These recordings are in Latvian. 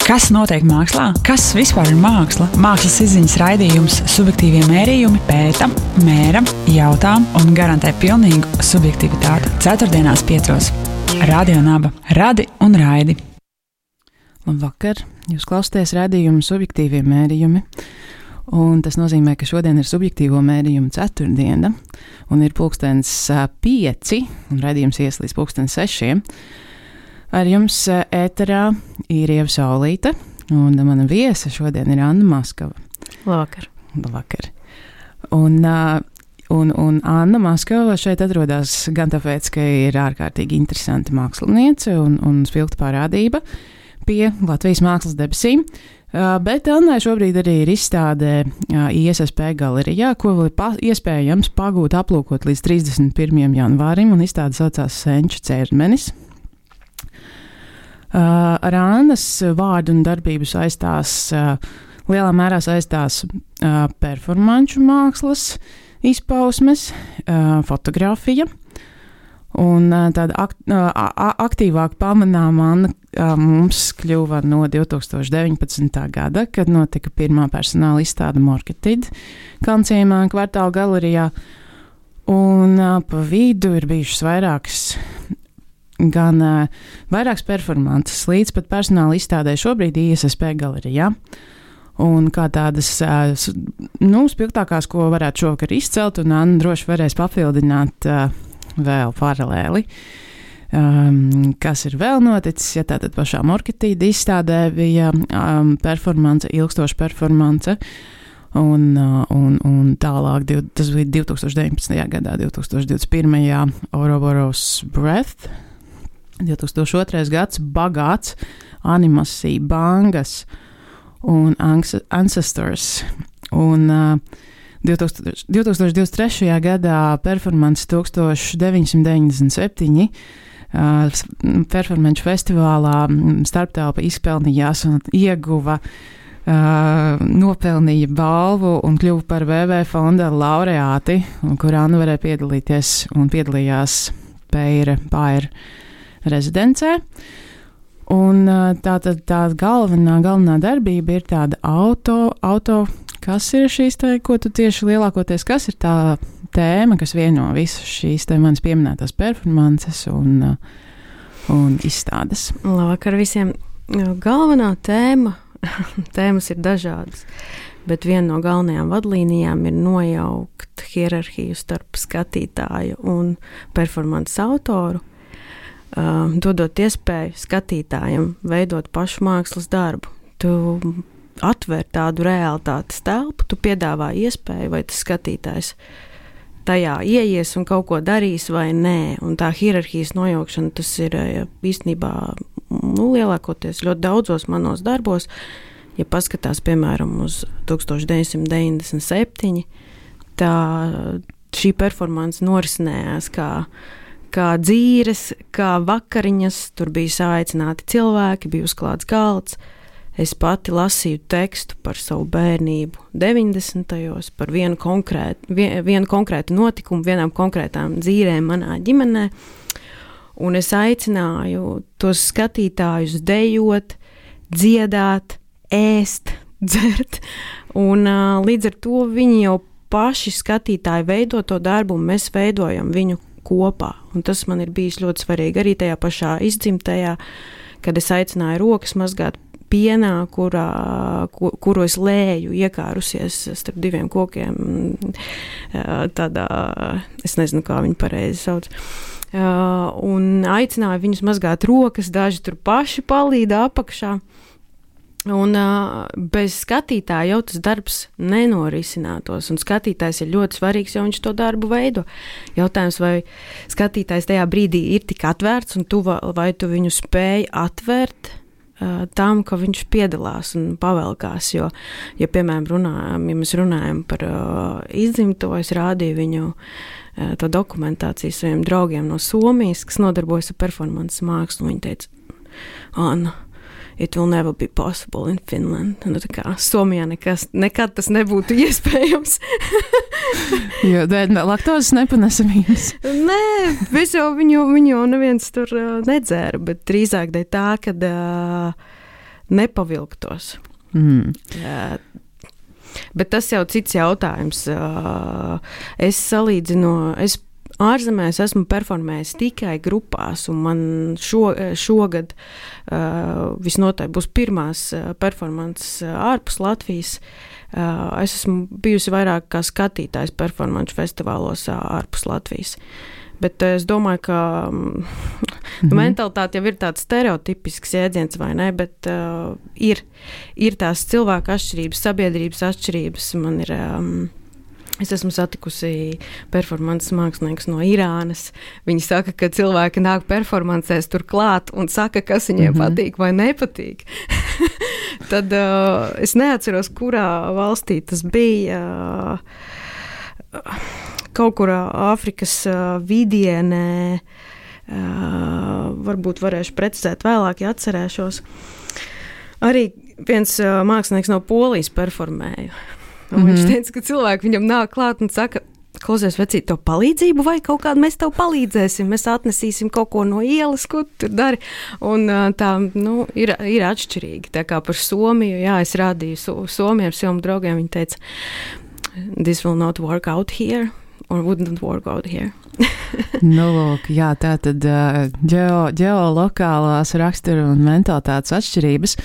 Kas notiek mākslā? Kas vispār ir māksla? Mākslas izziņas raidījums Subjektīvie mērījumi pēta, mēra, jautā un garantē pilnīgu subjektivitāti. Ceturtdienās 5. Radio Naba. Radi un raidi. Labvakar! Jūs klausāties raidījumu Subjektīvie mērījumi. Un tas nozīmē, ka šodien ir subjektīvo mērījumu ceturtdiena. Un ir 5:05 un raidījums ies līdz 6:00. Ar jums ēterā ir Ieva Saulīte, un mana viesa šodien ir Anna Maskava. Labvakar. Labvakar. Un Anna Maskava šeit atrodas gan tāpēc, ka ir ārkārtīgi interesanta māksliniece un spilgta parādība pie Latvijas mākslas debesīm, bet Annai šobrīd arī ir izstāde ISSP galerijā, ko iespējams pagūt aplūkot līdz 31. janvārim, un izstāde saucās Senču ķermenis. Ar Annas vārdu un darbību lielā mērā saistās performanču mākslas izpausmes, fotografija, un tāda aktīvāk pamanām Anna mums kļuva no 2019. gada, kad notika pirmā personāla izstāde Marketed Kalnciemā kvartāla galerijā, un pa vidu ir bijušas vairākas performances līdz pat personāla izstādē šobrīd ISSP galerijā. Un kā tādas spilgtākās, ko varētu šovakar izcelt, un Anna droši varēs papildināt vēl paralēli. Kas ir vēl noticis, ja tātad pašā Marketed izstādē bija performance, ilgstoša performance, un tālāk, tas bija 2019. gadā, 2021. Ouroboros Breath, 2002. gads bagāts animācija, bangas un ancestors, un 2023. gadā performance 1997 performanču festivālā starptelpa izpelnījās un ieguva nopelnīja balvu un kļuva par VV fonda laureāti, kur Anna varēja piedalīties un piedalījās Paira rezidencē. Un tā galvenā darbība ir tāda auto, kas ir šīs te, ko tu tieši lielākoties, kas ir tā tēma, kas vieno visas šīs te manas pieminētās performances un izstādes. Labvakar visiem. Galvenā tēmas ir dažādas, bet viena no galvenajām vadlīnijām ir nojaukt hierarhiju starp skatītāju un performances autoru, dodot iespēju skatītājam veidot pašu mākslas darbu. Tu atver tādu realitātes telpu, tu piedāvā iespēju, vai tas skatītājs tajā ieies un kaut ko darīs vai nē. Un tā hierarhijas nojaukšana, tas ir īstenībā lielākoties ļoti daudzos manos darbos. Ja paskatās, piemēram, uz 1997, tā šī performance norisinājās kā dzīres, kā vakariņas, tur bija saaicināti cilvēki, bija uzklāts galds. Es pati lasīju tekstu par savu bērnību 90. par vienu konkrētu notikumu, vienām konkrētām dzīrēm manā ģimenē, un es aicināju tos skatītājus dejot, dziedāt, ēst, dzert, un līdz ar to viņi jau paši skatītāji veido to darbu, un mēs veidojam viņu kopā. Un tas man ir bijis ļoti svarīgi arī tajā pašā izdzimtajā, kad es aicināju rokas mazgāt pienā, kuru es lēju, iekārusies starp diviem kokiem, tādā, es nezinu, kā viņi pareizi sauc. Un aicināju viņus mazgāt rokas, daži tur paši palīda apakšā. Un bez skatītāja jau tas darbs nenorisinātos, un skatītājs ir ļoti svarīgs, jo viņš to darbu veido. Jautājums, vai skatītājs tajā brīdī ir tik atvērts, un vai tu viņu spēj atvērt tam, ka viņš piedalās un pavelkās, jo, ja, piemēram, mēs runājam par izdzimto, es rādīju viņu to dokumentāciju saviem draugiem no Somijas, kas nodarbojas ar performances mākslu, un viņi teica, Anna, it will never be possible in Finland. Un tā kā Somijā nekad tas nebūtu iespējams. Jo laktozes nepanesamības. Nē, viņu jau neviens tur nedzēra, bet drīzāk dēļ tā, kad nepavilktos. Bet tas jau cits jautājums. Es salīdzinu, ārzemēs esmu performējis tikai grupās, un man šogad visnotaļ būs pirmās performances ārpus Latvijas. Es esmu bijusi vairāk kā skatītājs performanču festivālos ārpus Latvijas. Bet es domāju, ka mentalitāte jau ir tāds stereotipisks jēdziens, vai ne, bet ir tās cilvēku atšķirības, sabiedrības atšķirības. Es esmu satikusi performances mākslinieks no Irānas. Viņi saka, ka cilvēki nāk performancēs tur klāt un saka, kas viņiem patīk vai nepatīk. Tad es neatceros, kurā valstī tas bija. Kaut kur Āfrikas vidienē, varbūt varēšu precizēt vēlāk, ja atcerēšos. Arī viens mākslinieks no Polijas performēja. Un viņš teica, ka cilvēki viņam nāk klāt un saka, klausies, vecīt, tev palīdzību vai kaut kādu mēs tev palīdzēsim, mēs atnesīsim kaut ko no ielas, ko tu tur dari. Un tā, ir atšķirīgi. Tā kā par Somiju, jā, es rādīju Somiem draugiem, viņi teica, this will not work out here. Or wouldn't work out here. Lūk, jā, tā tad ģeolokālās rakstura un mentalitātes atšķirības.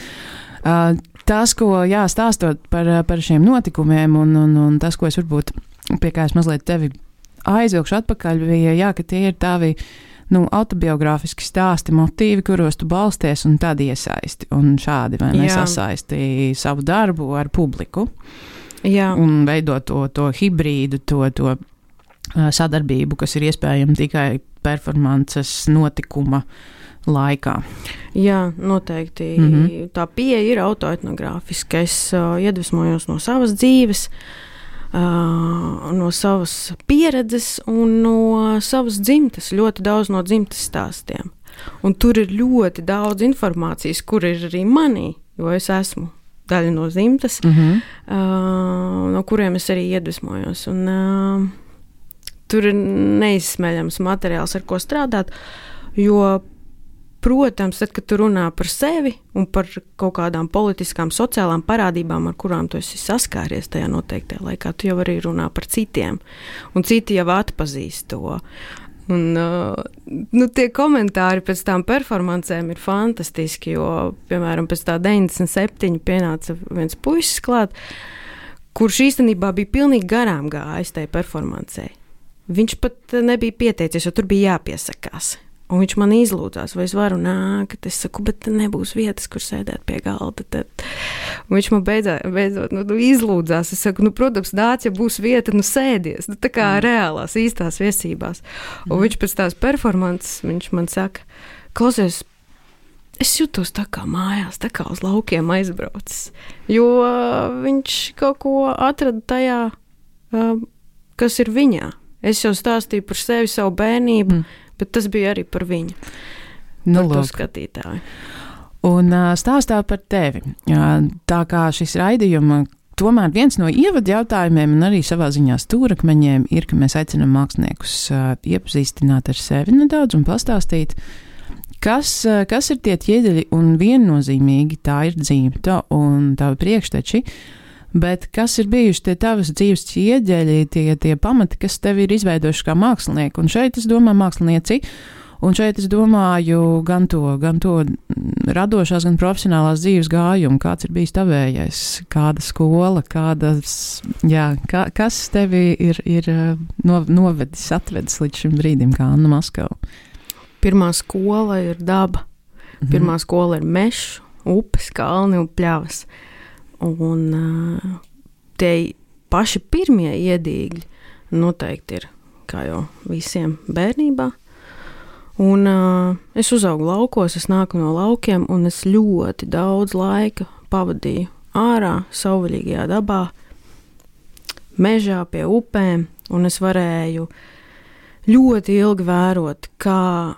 Tas, ko, jā, stāstot par šiem notikumiem un tas, ko es varbūt, pie kā es mazliet tevi aizvilkšu atpakaļ, bija, jā, ka tie ir tavi, autobiogrāfiski stāsti, motīvi, kuros tu balsties un tad iesaisti. Un šādi, vai nesasaisti savu darbu ar publiku. Jā. Un veidot to hibrīdu, to sadarbību, kas ir iespējama tikai performances notikuma laikā. Jā, noteikti. Tā pieeja ir autoetnogrāfiska. Es iedvesmojos no savas dzīves, no savas pieredzes un no savas dzimtes, ļoti daudz no dzimtes stāstiem. Un tur ir ļoti daudz informācijas, kur ir arī manī, jo es esmu daļa no dzimtes, no kuriem es arī iedvesmojos. Un tur ir neizsmeļams materiāls, ar ko strādāt, jo, protams, tad, kad tu runā par sevi un par kaut kādām politiskām, sociālām parādībām, ar kurām tu esi saskāries tajā noteiktajā laikā, tu jau arī runā par citiem, un citi jau atpazīst to. Un tie komentāri pēc tām performancēm ir fantastiski, jo, piemēram, pēc tā 97 pienāca viens puisis klāt, kurš īstenībā bija pilnīgi garām gājis tajā performancē. Viņš pat nebija pieteicies, jo tur bija jāpiesakās. Un viņš man izlūdzās, vai es varu nākt. Es saku, bet nebūs vietas, kur sēdēt pie galda. Tad. Un viņš man beidzot izlūdzās. Es saku, protams, nāc, ja būs vieta, sēdies. Tā kā reālās, īstās viesībās. Un viņš pēc tās performances, viņš man saka, klausies, es jūtos tā kā mājās, tā kā uz laukiem aizbraucis. Jo viņš kaut ko atrada tajā, kas ir viņā. Es jau stāstīju par sevi, savu bērnību, bet tas bija arī par viņu, par to skatītāju. Un stāstā par tevi. Tā kā šis raidījuma, tomēr viens no ievadu jautājumiem un arī savā ziņā stūrakmeņiem ir, ka mēs aicinām māksliniekus iepazīstināt ar sevi nedaudz un pastāstīt, kas ir tie ķieģeļi, un viennozīmīgi tā ir dzimta un tavi priekšteči. Bet kas ir bijuši tie tavas dzīves ķieģeļi, tie pamati, kas tev ir izveidojuši kā mākslinieku? Un šeit es domāju mākslinieci, un šeit es domāju gan to radošās, gan profesionālās dzīves gājumu. Kāds ir bijis tavējais? Kāda skola, kas tevi ir novedis, atvedis līdz šim brīdim, kā Anna Maskava? Pirmā skola ir daba. Pirmā skola ir mežs, upes, kalni un pļavas. Un tie paši pirmie iedīgļi noteikti ir, kā jau visiem bērnībā. Un es uzaugu laukos, es nāku no laukiem, un es ļoti daudz laika pavadīju ārā, savvaļīgajā dabā, mežā pie upēm, un es varēju ļoti ilgi vērot, kā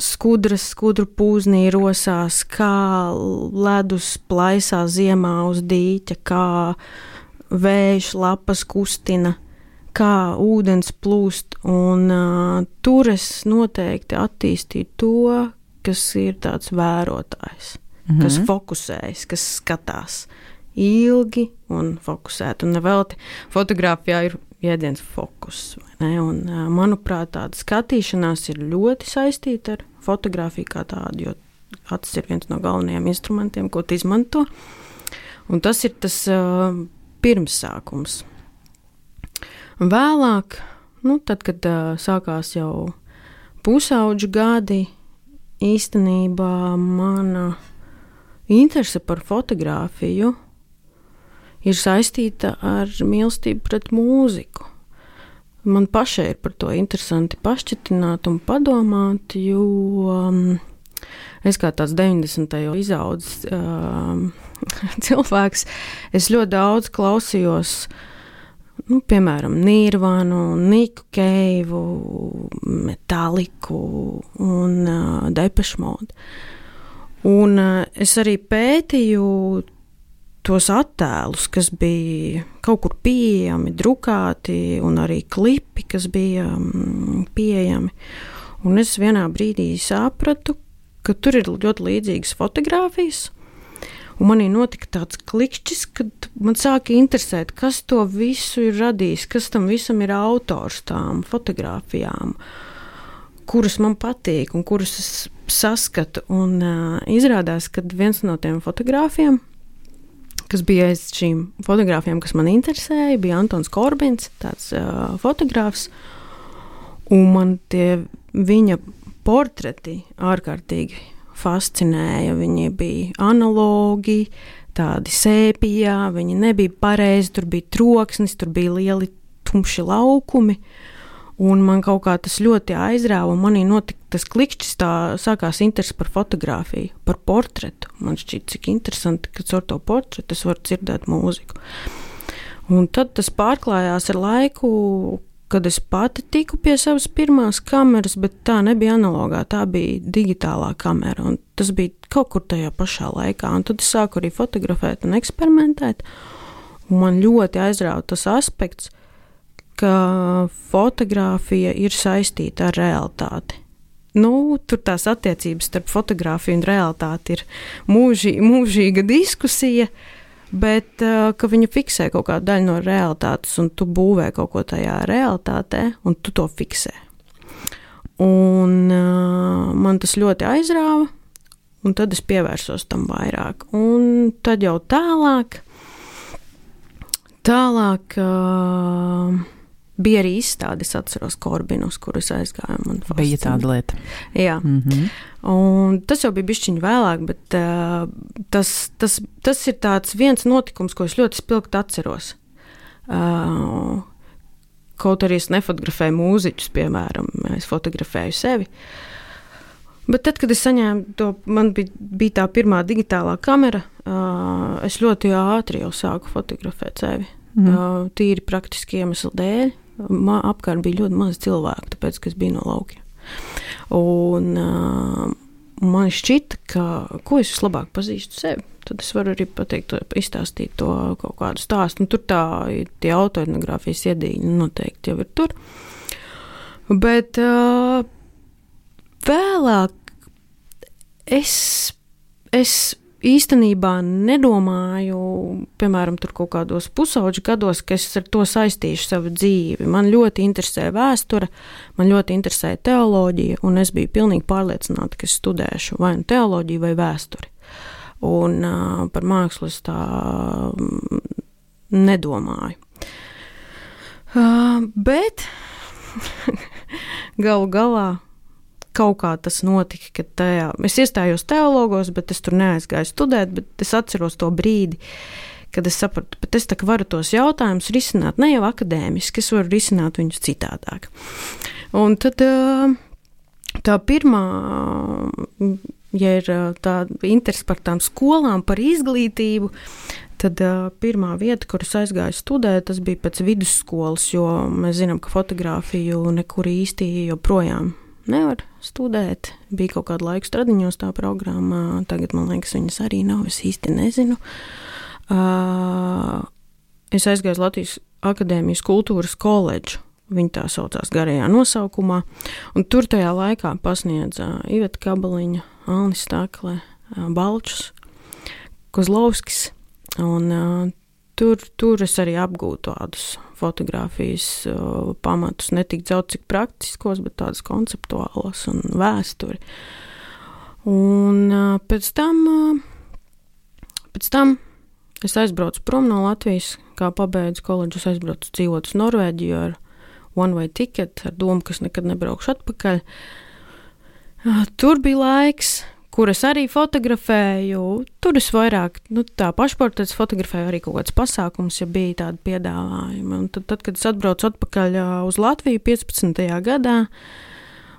skudru pūznī rosās, kā ledus plaisās ziemā uz dīķa, kā vējš lapas kustina, kā ūdens plūst, un tur es noteikti attīstīju to, kas ir tāds vērotājs. kas fokusējas, kas skatās ilgi un fokusēt. Un nevelti fotogrāfijā ir jēdziens fokus. Un, manuprāt, tāda skatīšanās ir ļoti saistīta ar fotogrāfiju kā tādu, jo acis ir viens no galvenajiem instrumentiem, ko tu izmanto. Un tas ir tas pirmsākums. Vēlāk, tad, kad sākās jau pusauģu gadi, īstenībā mana interese par fotogrāfiju ir saistīta ar mīlestību pret mūziku. Man pašai ir par to interesanti pašķitināt un padomāt, jo es kā tāds 90. izaudzis cilvēks, es ļoti daudz klausījos, piemēram, Nirvanu, Niku Keivu, Metalliku un Depeche Mode. Un es arī pētīju tos attēlus, kas bija kaut kur pieejami, drukāti, un arī klipi, kas bija pieejami. Un es vienā brīdī sapratu, ka tur ir ļoti līdzīgas fotogrāfijas, un manī notika tāds klikšķis, kad man sāka interesēt, kas to visu ir radījis, kas tam visam ir autors tām fotogrāfijām, kuras man patīk un kuras es saskatu. Un izrādās, ka viens no tiem fotogrāfiem, kas bija aiz šīm fotogrāfiem, kas man interesēja, bija Antons Korbins, tāds fotogrāfs, un man tie viņa portreti ārkārtīgi fascinēja. Viņi bija analogi, tādi sēpijā, viņi nebija pareizi, tur bija troksnis, tur bija lieli tumši laukumi, un man kaut kā tas ļoti aizrāva, un manī notika tas klikšķis, tā sākās interesi par fotogrāfiju, par portretu. Man šķiet, cik interesanti, ka ar to portretu es varu dzirdēt mūziku. Un tad tas pārklājās ar laiku, kad es pati tiku pie savas pirmās kameras, bet tā nebija analogā, tā bija digitālā kamera, un tas bija kaut kur tajā pašā laikā. Un tad es sāku arī fotografēt un eksperimentēt, un man ļoti aizrāva tas aspekts, ka fotogrāfija ir saistīta ar realitāti. Tur tās attiecības starp fotogrāfiju un realitāti ir mūžīga diskusija, bet ka viņa fiksē kaut kādu daļu no realitātes, un tu būvē kaut ko tajā realitātē, un tu to fiksē. Un man tas ļoti aizrāva, un tad es pievērsos tam vairāk. Un tad jau tālāk bija arī izstāde, es atceros Korbinus, kurus aizgāju. Bija tāda lieta. Jā. Un tas jau bija bišķiņi vēlāk, bet tas ir tāds viens notikums, ko es ļoti spilgti atceros. Kaut arī es nefotografēju mūziķus, piemēram, es fotografēju sevi. Bet tad, kad es saņēmu to, man bija tā pirmā digitālā kamera, es ļoti ātri jau sāku fotografēt sevi. Tīri praktiski iemeslu dēļ. Apkārt bija ļoti maz cilvēku, tāpēc, ka es biju no laukiem. Un man šķita, ka ko es vislabāk pazīstu sevi, tad es varu arī pateikt, izstāstīt to kaut kādu stāstu. Un tur tie autoetnogrāfijas iedīņi noteikti jau ir tur. Bet vēlāk es īstenībā nedomāju, piemēram, tur kaut kādos pusauģu gados, ka es ar to saistīšu savu dzīvi. Man ļoti interesē vēsture, man ļoti interesē teoloģija, un es biju pilnīgi pārliecināta, ka es studēšu vai nu teoloģiju vai vēsturi. Un par mākslu es tā nedomāju. Bet galu galā kaut kā tas notika, ka es iestājos teologos, bet es tur neaizgāju studēt, bet es atceros to brīdi, kad es sapratu, bet es tā kā varu tos jautājumus risināt ne jau akadēmiski, es varu risināt viņus citādāk. Un tad tā pirmā, ja ir tā interese par tām skolām, par izglītību, tad pirmā vieta, kur es aizgāju studēt, tas bija pēc vidusskolas, jo mēs zinām, ka fotogrāfiju nekur īsti joprojām nevar studēt. Bija kaut kādu laiku Stradiņos tā programma, tagad man liekas viņas arī nav, es īsti nezinu. Es aizgāju uz Latvijas Akadēmijas kultūras koledžu, viņa tā saucās garajā nosaukumā, un tur tajā laikā pasniedza Iveta Kabaliņa, Alnis Stakle, Balčus, Kozlovskis, un tur es arī apgūtu tādus fotogrāfijas pamatus, ne tik daudz cik praktiskos, bet tādus konceptuālos un vēsturi. Un pēc tam es aizbraucu prom no Latvijas, kā pabeidzu koledžu, es aizbraucu dzīvot uz Norvēģiju ar one-way ticket, ar domu, ka es nekad nebraukšu atpakaļ. Tur bija laiks, kur es arī fotografēju, tur es vairāk, tā pašportrets fotografēju arī kaut kāds pasākums, ja bija tādi piedāvājumi. Un tad, kad es atbraucu atpakaļ uz Latviju 15. gadā,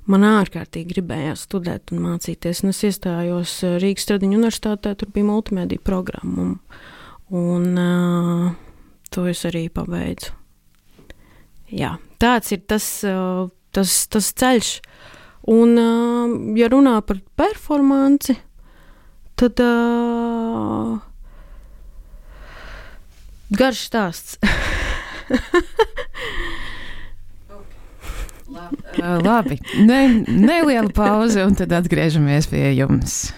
man ārkārtīgi gribējās studēt un mācīties, un es iestājos Rīgas Stradiņu universitātē, tur bija multimediju programma, un to es arī pabeidzu. Jā, tāds ir tas ceļš. Un, ja runā par performanci, tad garš stāsts. Labi, neliela pauze, un tad atgriežamies pie jums.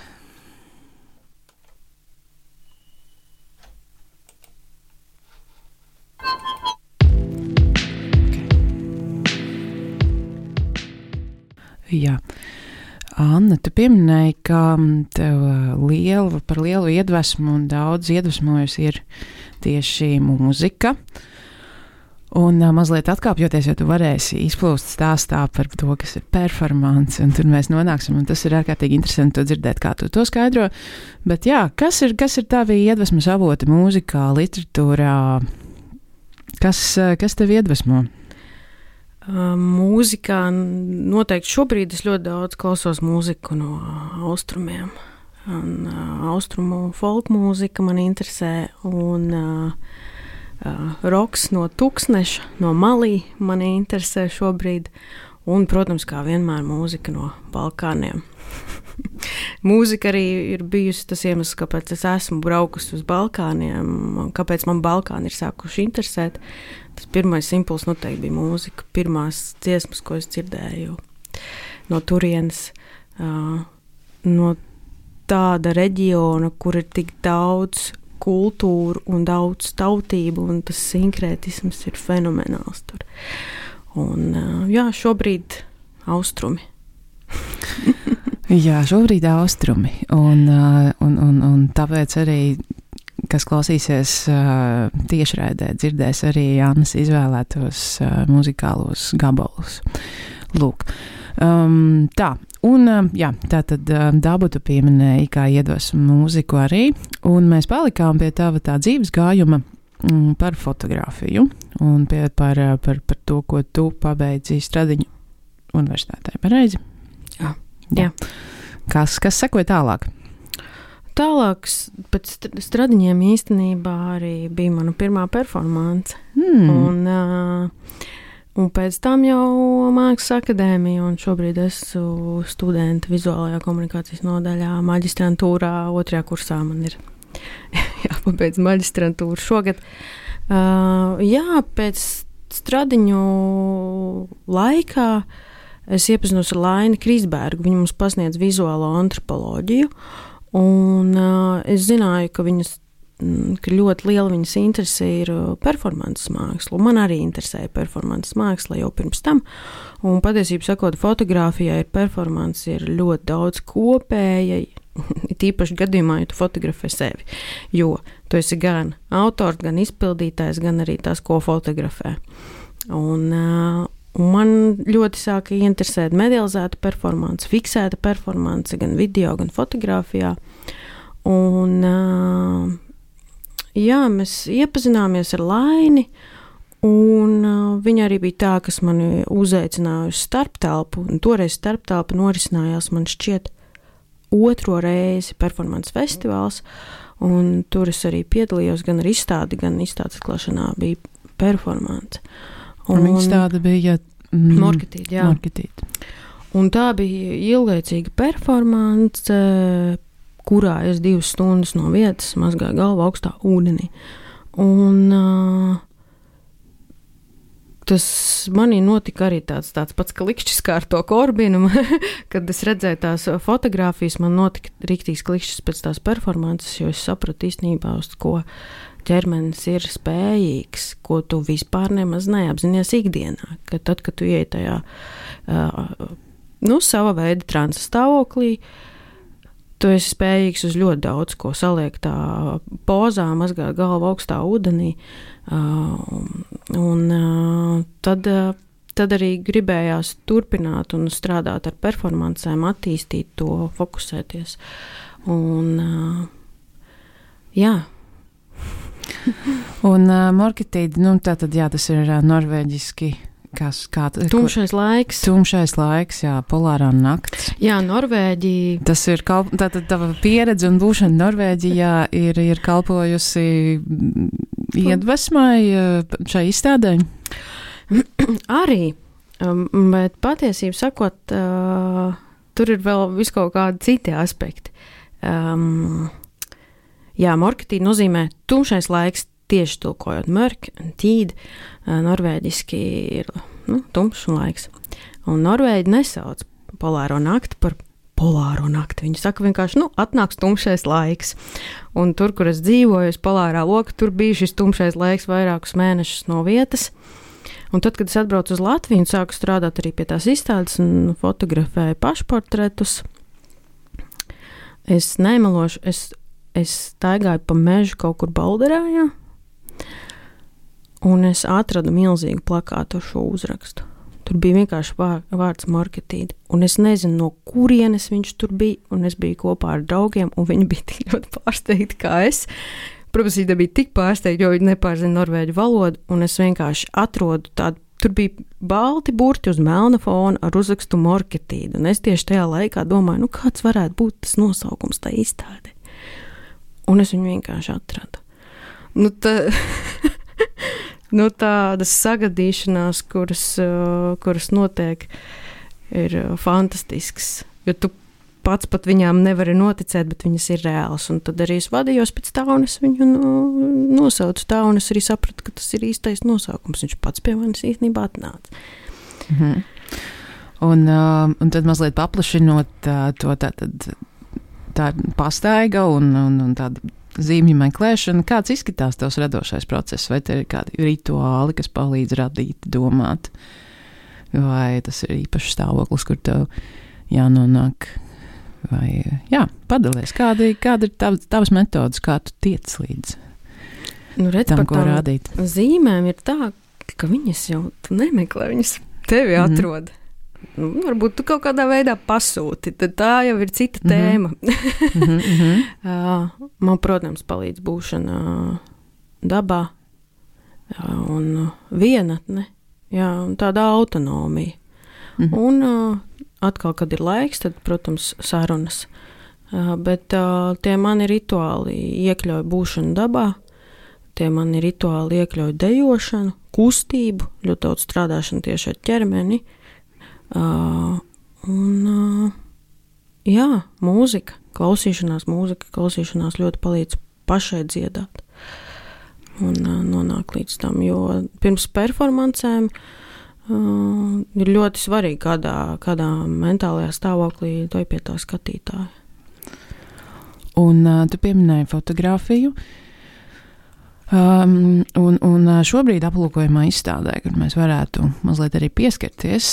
Jā. Anna, tu pieminēji, ka tev par lielu iedvesmu un daudz iedvesmojusi ir tieši mūzika. Un mazliet atkāpjoties, jo tu varēsi izplūst stāstā par to, kas ir performance, un tur mēs nonāksim, un tas ir ārkārtīgi interesanti to dzirdēt, kā tu to skaidro. Bet jā, kas ir tavi iedvesmas avoti mūzikā, literatūrā? Kas tev iedvesmo? Mūzikā noteikti šobrīd es ļoti daudz klausos mūziku no austrumiem. Un, austrumu folk mūzika man interesē, un roks no Tuksneša, no Malī mani interesē šobrīd, un, protams, kā vienmēr mūzika no Balkāniem. Mūzika arī ir bijusi tas iemesls, kāpēc es esmu braukusi uz Balkāniem, kāpēc man Balkāni ir sākuši interesēt. Tas pirmais impulss noteikti bija mūzika, pirmās dziesmas, ko es dzirdēju no turienes, no tāda reģiona, kur ir tik daudz kultūru un daudz tautību, un tas sinkrētisms ir fenomenāls tur. Un, jā, šobrīd austrumi. Jā, šobrīd austrumi, un tāpēc arī, kas klausīsies tiešraidē, dzirdēs arī Annas izvēlētos muzikālos gabalus. Lūk. Tā, un jā, tātad dabu tu pieminēji, kā iedvesmu mūziku arī, un mēs palikām pie tava tā dzīves gājuma par fotogrāfiju, un par to, ko tu pabeidzi Stradiņu universitātē, pareizi? Jā. Kas sekoja tālāk? Tālāk pēc Stradiņiem īstenībā arī bija mana pirmā performance. Un pēc tam jau Mākslas akadēmija, un šobrīd esmu studenta vizuālajā komunikācijas nodaļā maģistrantūrā, 2. kursā man ir jāpabeidz maģistrantūra šogad. Jā, pēc Stradiņu laikā es iepazinos ar Laini Krisbergu, viņa mums pasniedz vizuālo antropoloģiju, un es zināju, ka ļoti liela viņas interese ir performances māksla. Man arī interesēja performances māksla jau pirms tam, un patiesībā sakot, fotogrāfijā ir performance ir ļoti daudz kopēja, tīpaši gadījumā, ja tu fotografē sevi, jo tu esi gan autors, gan izpildītājs, gan arī tas, ko fotografē. Un man ļoti sāka interesēt medializēta performance, fiksēta performance, gan video, gan fotografijā. Un jā, mēs iepazināmies ar Laini, un viņa arī bija tā, kas mani uzaicināja uz starptelpu, un toreiz starptelpa norisinājās, man šķiet, 2. reizi performance festivāls, un tur es arī piedalījos gan ar izstādi, gan izstādes atklāšanā bija performance. Un viņa tāda bija Morkatīt, jā. Morkatīt. Un tā bija ilglaicīga performance, kurā es 2 stundas no vietas mazgāju galvu augstā ūdenī. Un Tas manī notika arī tāds pats klikšķis kā ar to Korbinu, kad es redzēju tās fotogrāfijas, man notika rīktīgs klikšķis pēc tās performances, jo es sapratu īstenībā, uz ko ķermenis ir spējīgs, ko tu vispār nemaz neapzinies ikdienā, ka tad, kad tu ieej tajā, sava veida transa stāvoklī, tu esi spējīgs uz ļoti daudz ko saliekt tā pozā, mazgāt galvu augstā ūdenī, tad arī gribējās turpināt un strādāt ar performancēm, attīstīt to, fokusēties. Un, jā. Un Morketīde, tātad, jā, tas ir norvēģiski. Tumšais laiks. Tumšais laiks, jā, polārā nakts. Jā, Norvēģija. Tas ir tātad tava pieredze un būšana Norvēģijā ir kalpojusi iedvesmai šai izstādē? Arī, bet patiesību sakot, tur ir vēl viskaut kādi citi aspekti. Jā, Morketīde nozīmē tumšais laiks, tieši tulkojot Morketīde, norvēģiski ir tumšs laiks. Un Norvēģi nesauc polāro nakti par polāro nakti. Viņi saka vienkārši, atnāks tumšais laiks. Un tur, kur es dzīvoju, polārā loka, tur bija šis tumšais laiks vairākus mēnešus no vietas. Un tad, kad es atbraucu uz Latviju un sāku strādāt arī pie tās izstādes un fotografēju pašportretus, es nemelošu, es staigāju pa mežu kaut kur Balderājā, un es atradu milzīgu plakātu ar šo uzrakstu. Tur bija vienkārši vārds Morketīde, un es nezinu, no kurienes viņš tur bija, un es biju kopā ar draugiem, un viņi bija tik ļoti pārsteigti kā es. Protams, viņi bija tik pārsteigti, jo viņi nepārzina norvēģu valodu, un es vienkārši atrodu tādu, tur bija balti burti uz melna fona ar uzrakstu Morketīde, un es tieši tajā laikā domāju, kāds varētu būt tas nosaukums tā izstādē. Un es viņu vienkārši atradu. Tādas sagadīšanās, kuras notiek, ir fantastisks, jo tu pats pat viņām nevari noticēt, bet viņas ir reālas, un tad arī es vadījos pēc tā, un es viņu nosaucu tā, un es arī sapratu, ka tas ir īstais nosaukums, viņš pats pie manis īstenībā atnāca. Mhm. Un tad mazliet paplašinot to tā pastaiga un tāda zīmju meklēšana, kāds izskatās tavs radošais process, vai te ir kādi rituāli, kas palīdz radīt, domāt, vai tas ir īpašs stāvoklis, kur tev jānonāk, vai, padalies, kāda ir tavas metodas, kā tu tiec līdz tam, ko rādīt? Zīmēm ir tā, ka viņas jau tu nemeklē, viņas tevi atrod. Varbūt tu kaut kādā veidā pasūti, tad tā jau ir cita tēma. Man, protams, palīdz būšana dabā un vienatne, un tāda autonomija. Un atkal, kad ir laiks, tad, protams, sarunas. Bet tie mani rituāli iekļauj būšanu dabā, tie mani rituāli iekļauj dejošanu, kustību, ļoti daudz strādāšanu tieši ar ķermeni. Mūzika, klausīšanās ļoti palīdz pašai dziedāt un nonāk līdz tam, jo pirms performancēm ir ļoti svarīgi, kādā mentālajā stāvoklī tu pie tā skatītāja. Un tu pieminēji fotografiju. Un šobrīd aplūkojamā izstādē, kur mēs varētu mazliet arī pieskarties,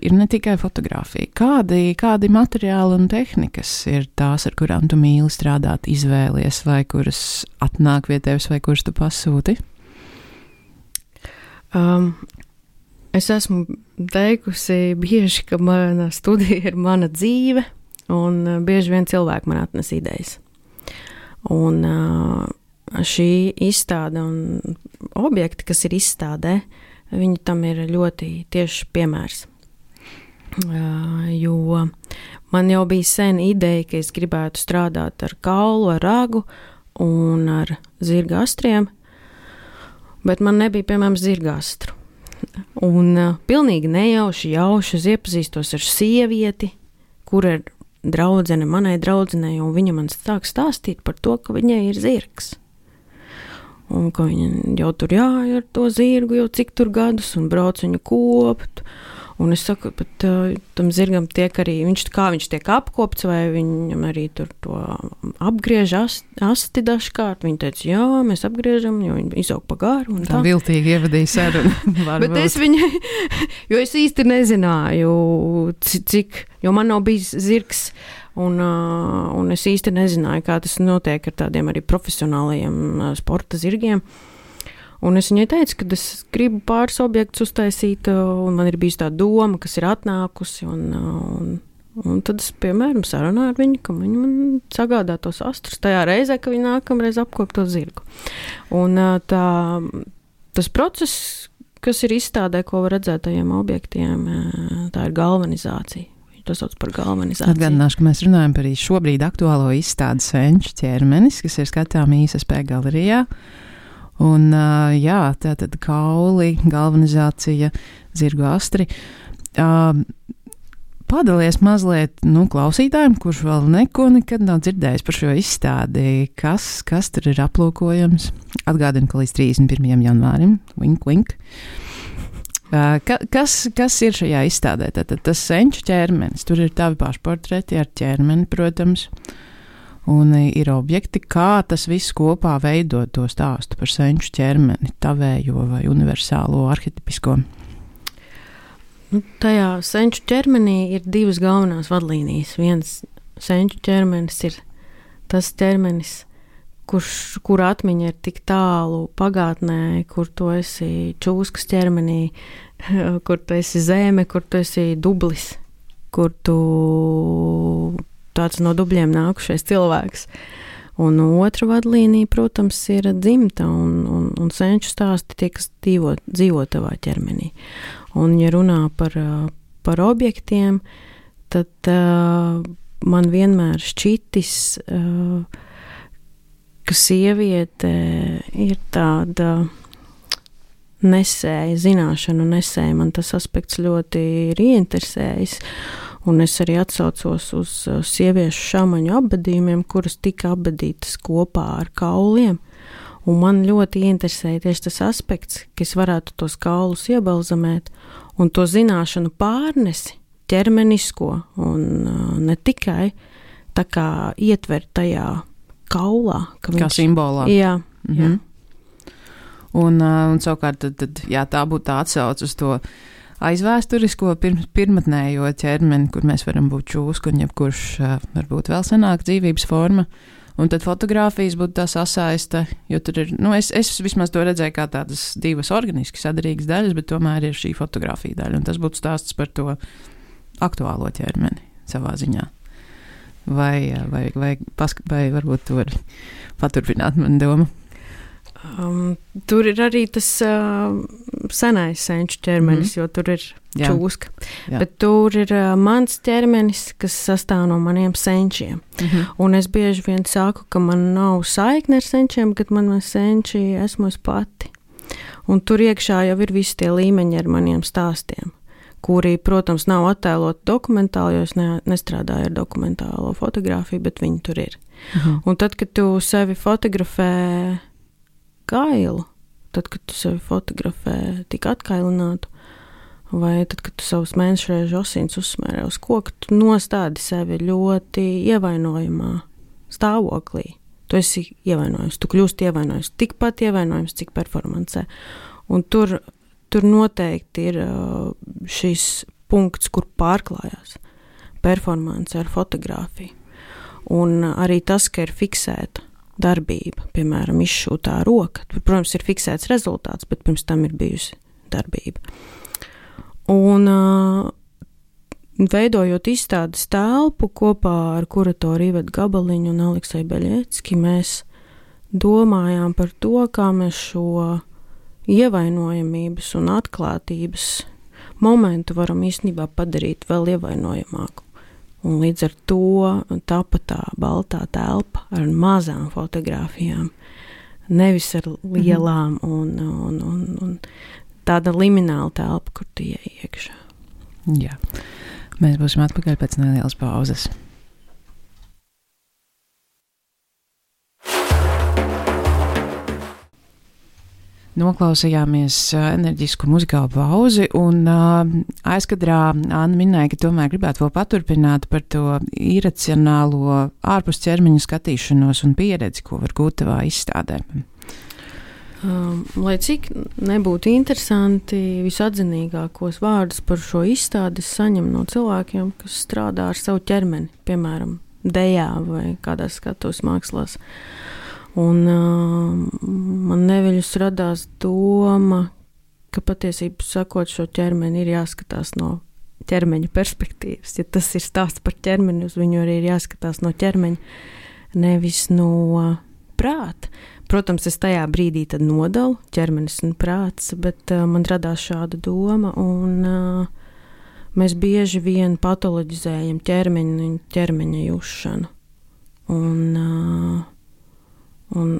ir ne tikai fotografija. Kādi materiāli un tehnikas ir tās, ar kurām tu mīli strādāt, izvēlies, vai kuras atnāk pie tevis, vai kuras tu pasūti? Es esmu teikusi bieži, ka mana studija ir mana dzīve, un bieži vien cilvēki man atnes idejas. Un šī izstāde un objekti, kas ir izstādē, viņi tam ir ļoti tieši piemērs. Jo man jau bija sen ideja, ka es gribētu strādāt ar kaulu, ar ragu un ar zirgastriem, bet man nebija, piemēram, zirgastru. Un pilnīgi nejauši es iepazīstos ar sievieti, kura ir draudzene manai draudzenei, un viņa man sāk stāstīt par to, ka viņai ir zirgs. un ka viņa jau tur jāja ar to zirgu jau cik tur gadus un brauc viņu kopt. Un es saku, bet tam zirgam tiek arī, viņš tiek apkopts, vai viņam arī tur to apgriež asti dažkārt. Viņa teica, jā, mēs apgriežam, jo viņi izaug pa garu. Tā viltīgi ievadīja sarunu. Bet es viņai, jo es īsti nezināju, cik, jo man nav bijis zirgs, un es īsti nezināju, kā tas notiek ar tādiem arī profesionālajiem sporta zirgiem. Un es viņai teicu, ka es gribu pāris objektus uztaisīt, un man ir bijis tā doma, kas ir atnākusi, un tad es, piemēram, sarunāju ar viņu, ka viņa man sagādā tos astrus tajā reizē, ka viņa nākamreiz apkop to zirgu. Un tas process, kas ir izstādē, ko var redzēt tajiem objektiem, tā ir galvanizācija. Tas sauc par galvanizāciju. Atgādināšu, ka mēs runājam par šobrīd aktuālo izstādi Senču ķermenis, kas ir skatām ISSP galerijā. Un, jā, tātad kauli, galvanizācija, zirgu astri. Padalies mazliet klausītājiem, kurš vēl nekad nav dzirdējis par šo izstādi. Kas tur ir aplūkojams? Atgādinu, ka līdz 31. janvārim, wink, wink. Kas ir šajā izstādē? Tātad tas Senču ķermenis. Tur ir tavi pašportreti ar ķermeni, protams. Un ir objekti, kā tas viss kopā veido to stāstu par senču ķermeni, tavējo vai universālo arhetipisko. Tajā senču ķermenī ir divas galvenās vadlīnijas. Viens senču ķermenis ir tas ķermenis, kur atmiņa ir tik tālu pagātnē, kur tu esi čūskas ķermenī, kur tu esi zeme, kur tu esi dublis, kur tu tāds no dubļiem nākušais cilvēks. Un otra vadlīnija, protams, ir dzimta un senču stāsti tie, kas dzīvo tavā ķermenī. Un, ja runā par objektiem, tad man vienmēr šķitis, ka sieviete ir tāda nesēja, zināšanu nesēja. Man tas aspekts ļoti ir ieinteresējis. Un es arī atsaucos uz sieviešu šamaņu apbedījumiem, kuras tika apbedītas kopā ar kauliem. Un man ļoti interesēja tieši tas aspekts, ka es varētu tos kaulus iebalzamēt un to zināšanu pārnesi ķermenisko un ne tikai tā kā ietver tajā kaulā. Kā simbolā. Jā, jā. Un savukārt tad, jā, tā būtu tā atsauc uz to aizvēsturisko pirmatnējo ķermeni, kur mēs varam būt čūska un jebkurš varbūt vēl senāk dzīvības forma. Un tad fotogrāfijas būtu tā sasaiste, jo tur ir, es vismaz to redzēju kā tādas divas organiski sadarīgas daļas, bet tomēr ir šī fotogrāfija daļa. Un tas būtu stāsts par to aktuālo ķermeni savā ziņā. Vai varbūt tu vari paturpināt manu domu? Tur ir arī tas senais senču ķermenis, jo tur ir čūska. Jā. Bet tur ir mans ķermenis, kas sastāv no maniem senčiem. Un es bieži vien saku, ka man nav saikne ar senčiem, kad man senči esmu es pati. Un tur iekšā jau ir visi tie līmeņi ar maniem stāstiem, kuri, protams, nav attēloti dokumentāli, jo es nestrādāju ar dokumentālo fotografiju, bet viņi tur ir. Un tad, kad tu sevi fotografē kailu, tad, kad tu sevi fotografē tik atkailinātu, vai tad, kad tu savus mēnešreižu osīns uzsmērē uz koku, tu nostādi sevi ļoti ievainojamā stāvoklī. Tu esi ievainojams, tu kļūsti ievainojams, tikpat ievainojams, cik performancē. Un tur noteikti ir šis punkts, kur pārklājās performance ar fotogrāfiju. Un arī tas, ka ir fiksēta darbība, piemēram, izšūtā roka. Tur, protams, ir fiksēts rezultāts, bet pirms tam ir bijusi darbība. Un veidojot izstādes telpu kopā ar kuratoru Ivetu Gabaliņu un Alekseju Beļecki, mēs domājām par to, kā mēs šo ievainojamības un atklātības momentu varam īstenībā padarīt vēl ievainojamāku. Un līdz ar to tapa tā baltā telpa ar mazām fotogrāfijām, nevis ar lielām un tāda limināla telpa, kur tu iej iekšā. Jā, mēs būsim atpakaļ pēc nelielas pauzes. Noklausījāmies enerģisku muzikālu pauzi, un aizkadrā Anna minēja, ka tomēr gribētu vēl paturpināt par to iracionālo ārpus ķermeņa skatīšanos un pieredzi, ko var gūt tavā izstādē. Lai cik nebūtu interesanti, visatzinīgākos vārdus par šo izstādi saņem no cilvēkiem, kas strādā ar savu ķermeni, piemēram, dejā vai kādās skatuves mākslās. Un man neviļus radās doma, ka patiesībā sakot šo ķermeni ir jāskatās no ķermeņa perspektīvas. Ja tas ir stāsts par ķermeni, uz viņu arī ir jāskatās no ķermeņa, nevis no prāta. Protams, es tajā brīdī tad nodalu ķermenis un prāts, bet man radās šāda doma, un mēs bieži vien patoloģizējam ķermeņu un ķermeņa jušanu. Un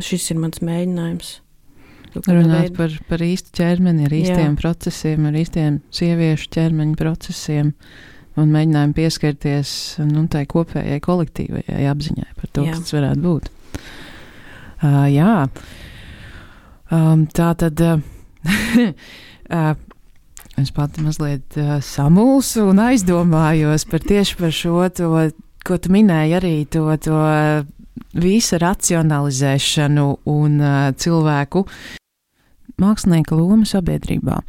šis ir mans mēģinājums. Runāt par īstu ķermeni, ar īstiem procesiem, ar īstiem sieviešu ķermeņa procesiem un mēģinājumu pieskarties tai kopējai kolektīvajai apziņai par to, kas tas varētu būt. Tā tad es pati mazliet samulsu un aizdomājos tieši par šo, ko tu minēji arī, to visa racionalizēšanu un cilvēku mākslinieka loma sabiedrībā.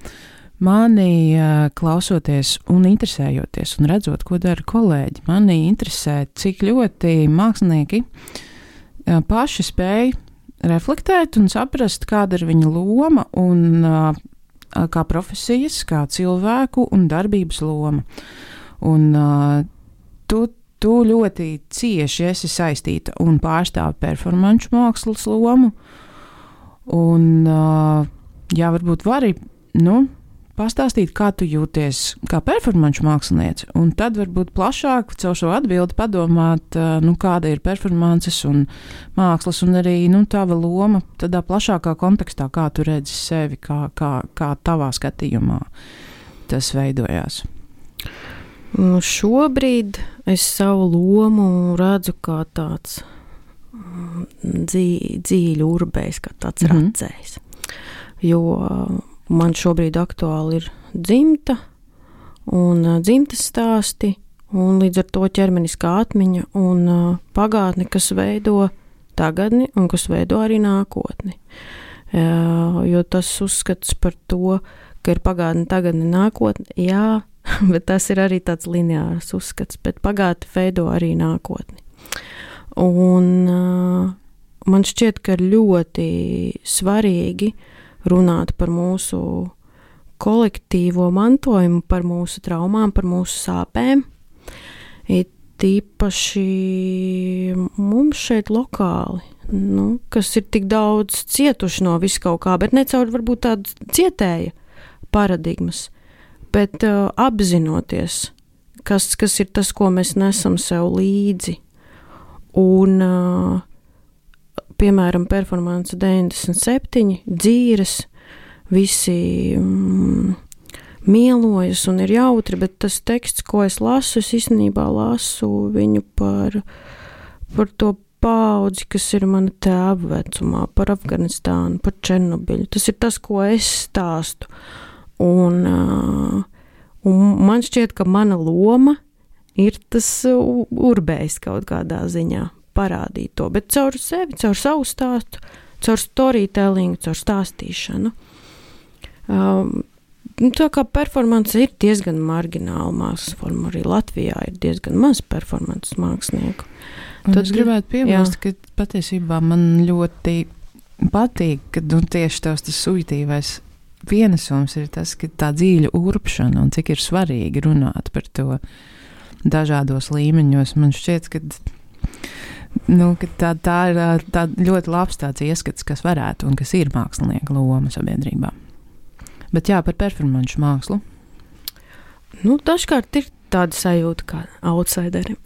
Mani klausoties un interesējoties un redzot, ko dara kolēģi, mani interesē, cik ļoti mākslinieki paši spēj reflektēt un saprast, kāda ir viņa loma un kā profesijas, kā cilvēku un darbības loma. Un tu ļoti cieši esi saistīta un pārstāvi performanču mākslas lomu. Un, varbūt vari, pastāstīt, kā tu jūties kā performanču māksliniece, un tad varbūt plašāk caur šo atbildi padomāt, kāda ir performances un mākslas, un arī, tava loma tādā plašākā kontekstā, kā tu redzi sevi, kā tavā skatījumā tas veidojās. Šobrīd es savu lomu redzu kā tāds dzīļu urbējs, kā tāds racējs. Jo man šobrīd aktuāli ir dzimta un dzimtes stāsti, un līdz ar to ķermeniskā atmiņa un pagātne, kas veido tagadni un kas veido arī nākotni. Jo tas uzskats par to, ka ir pagātne, tagadne, nākotne, jā, bet tas ir arī tāds lineārs uzskats, bet pagātne veido arī nākotni. Un man šķiet, ka ir ļoti svarīgi runāt par mūsu kolektīvo mantojumu, par mūsu traumām, par mūsu sāpēm. Tīpaši mums šeit lokāli, kas ir tik daudz cietuši no visu kaut kā, bet ne caur varbūt tādu cietēja paradigmas, bet apzinoties, kas ir tas, ko mēs nesam sev līdzi. Un, piemēram, performance 97, dzīres, visi mielojas un ir jautri, bet tas teksts, ko es lasu, es īstenībā lasu viņu par to paudzi, kas ir mana tēva vecumā, par Afganistānu, par Černobiļu. Tas ir tas, ko es stāstu. Un man šķiet, ka mana loma ir tas urbējs kaut kādā ziņā parādīt to, bet caur sevi, caur savu stāstu, caur storytellingu, caur stāstīšanu. Tā kā performance ir diezgan margināla mākslas forma, arī Latvijā ir diezgan maz performances mākslinieku. Tad es gribētu piebilst, ka patiesībā man ļoti patīk, ka tieši tas subjektīvais pienesums ir tas, ka tā dziļa urpšana un cik ir svarīgi runāt par to dažādos līmeņos. Man šķiet, ka tā ir tā ļoti labs tāds ieskats, kas varētu un kas ir mākslinieka loma sabiedrībā. Bet par performanču mākslu. Dažkārt ir tāda sajūta kā outsiderim.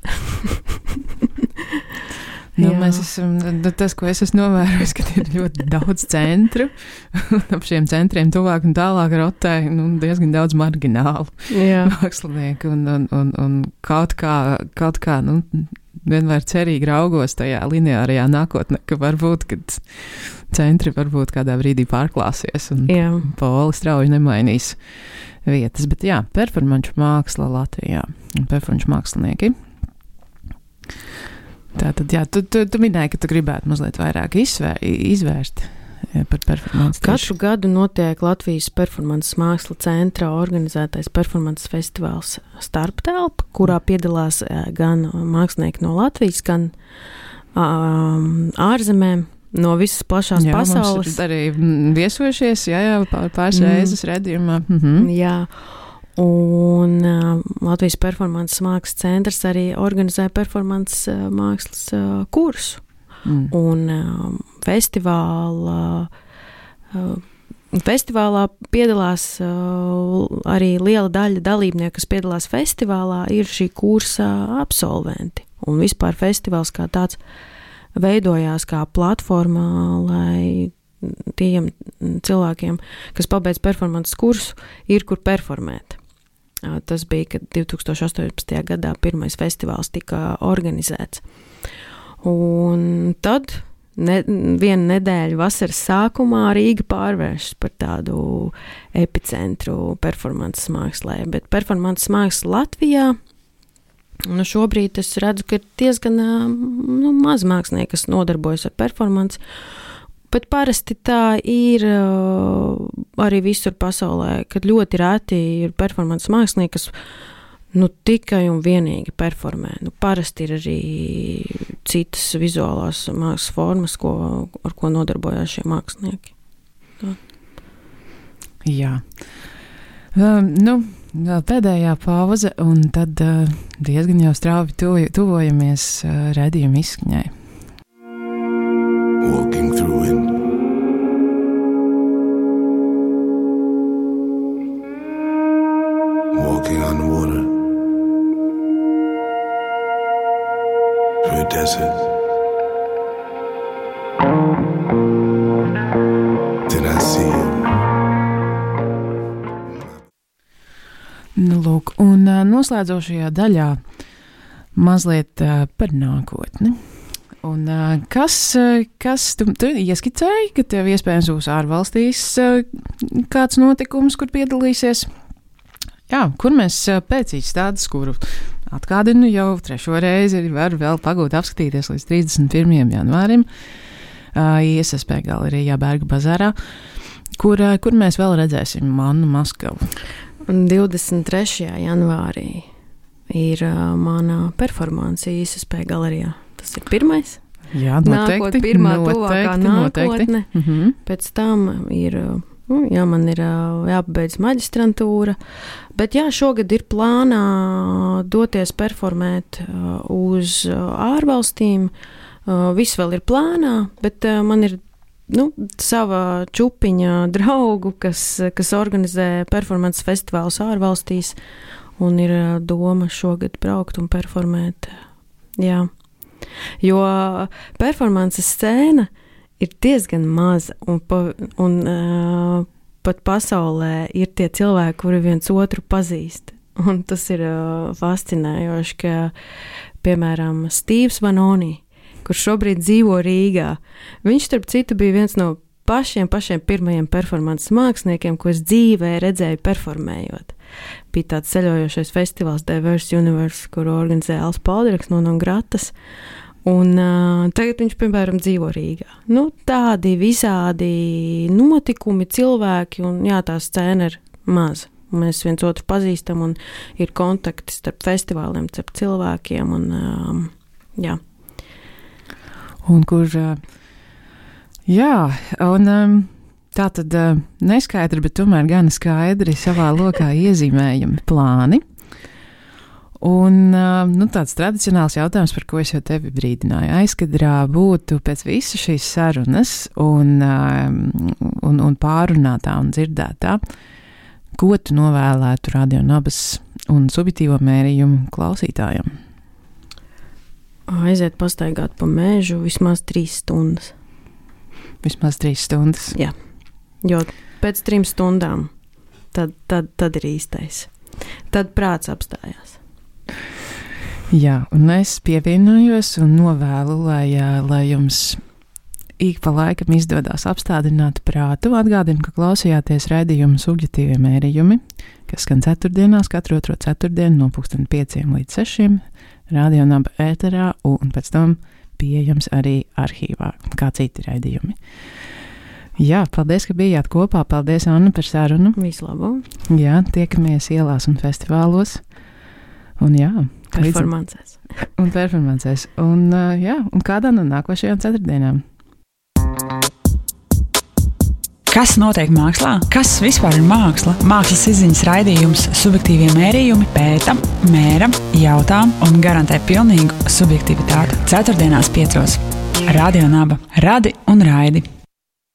Mēs esam, tas, ko es esmu novērojis, ka ir ļoti daudz centru, un ap šiem centriem tuvāk un tālāk rotē diezgan daudz marginālu mākslinieku, un kaut kā vienmēr cerīgi raugos tajā lineārajā nākotnē, ka varbūt, kad centri varbūt kādā brīdī pārklāsies un poli strauji nemainīs vietas. Bet jā, performanču māksla Latvijā un performanču mākslinieki. Tātad, jā, tu minēji, ka tu gribētu mazliet vairāk izvērst par performanci. Katru gadu notiek Latvijas performances māksla centra organizētais performances festivāls Starptelpa, kurā piedalās gan mākslinieki no Latvijas, gan ārzemēm, no visas plašās pasaules. Mums ir arī viesojušies, pāris reizes redzījumā. Jā, un Latvijas performances mākslas centrs arī organizē performances mākslas kursu. Un festivālā piedalās arī liela daļa dalībnieku, kas piedalās festivālā, ir šī kursa absolventi. Un vispār festivāls kā tāds veidojās kā platforma, lai tiem cilvēkiem, kas pabeidz performances kursu, ir kur performēt. Tas bija, kad 2018. gadā pirmais festivāls tika organizēts. Un tad vienu nedēļu vasaras sākumā Rīga pārvēršas par tādu epicentru performances mākslē, bet performances māksla Latvijā, šobrīd es redzu, ka ir diezgan maz mākslinieki, kas nodarbojas ar performanci, bet parasti tā ir arī visur pasaulē, kad ļoti reti ir performances mākslinieki, kas tikai un vienīgi performē. Parasti ir arī citas vizuālās mākslas formas, ar ko nodarbojās šie mākslinieki. Tā. Jā. Vēl pēdējā pauze, un tad diezgan jau strauji tuvojamies redzījuma izskaņai. Walking through it. Walking on the water. Through a desert. Did I see you? Lūk, un noslēdzošajā daļā mazliet par nākotni. Un kas tu ieskicēji, ka tev iespējams būs ārvalstīs kāds notikums, kur piedalīsies? Jā, kur mēs pēc izstādes, kuru atgādinu jau 3. reizi, var vēl pagūt apskatīties līdz 31. janvārim ISSP galerijā Berga bazārā, kur mēs vēl redzēsim Mannu Maskavu. 23. janvārī ir mana performance ISSP galerijā. Tas ir pirmais. Jā, noteikti. Nākot pirmā tuvākā nākotne. Pēc tam ir... man ir jāpabeidz maģistrantūra, bet šogad ir plānā doties performēt uz ārvalstīm. Viss vēl ir plānā, bet man ir sava čupiņa draugu, kas organizē performances festivālus ārvalstīs, un ir doma šogad braukt un performēt. Jā. Jo performances scēna ir diezgan maza, un pat pasaulē ir tie cilvēki, kuri viens otru pazīst. Un tas ir fascinējoši, ka, piemēram, Stīvs Vanoni, kurš šobrīd dzīvo Rīgā, viņš, starp citu, bija viens no pašiem pirmajiem performances māksliniekiem, ko es dzīvē redzēju performējot. Bija tāds ceļojošais festivāls Diverse Universe, kuru organizēja Als Palderaks no Gratas. Un tagad viņš, piemēram, dzīvo Rīgā. Tādi visādi notikumi, cilvēki, un tā scēna ir maza. Mēs viens otru pazīstam, un ir kontakti starp festivāliem, starp cilvēkiem, un jā. Un kur, tā tad neskaidri, bet tomēr gan skaidri savā lokā iezīmējami plāni. Un tāds tradicionāls jautājums, par ko es jau tevi brīdināju, aizkadrā būtu pēc visas šīs sarunas un pārunātā un dzirdētā, ko tu novēlētu Radio Nabas un subjektīvo mērījumu klausītājiem? Aiziet pastaigāt pa mežu vismaz 3 stundas. Vismaz 3 stundas? Jā, jo pēc 3 stundām tad ir īstais. Tad prāts apstājās. Jā, un es pievienojos un novēlu, lai jums ik pa laikam izdodas apstādināt prātu. Atgādinu, ka klausījāties raidījumu subjektīvie mērījumi, kas skan ceturtdienās, katru otro ceturtdienu no 5 līdz 6 Radio Naba ēterā un pēc tam pieejams arī arhīvā, kā citi raidījumi. Jā, paldies, ka bijāt kopā. Paldies, Anna, par sarunu. Visu labu. Jā, tiekamies ielās un festivālos. Un jā, performancēs. Un jā, un kādā no nākošajām ceturtdienām? Kas notiek mākslā? Kas vispār ir māksla? Mākslas izziņas raidījums subjektīvie mērījumi pēta, mēra, jautā un garantē pilnīgu subjektivitāti. Ceturtdienās 5. Radio Naba. Radi un raidi!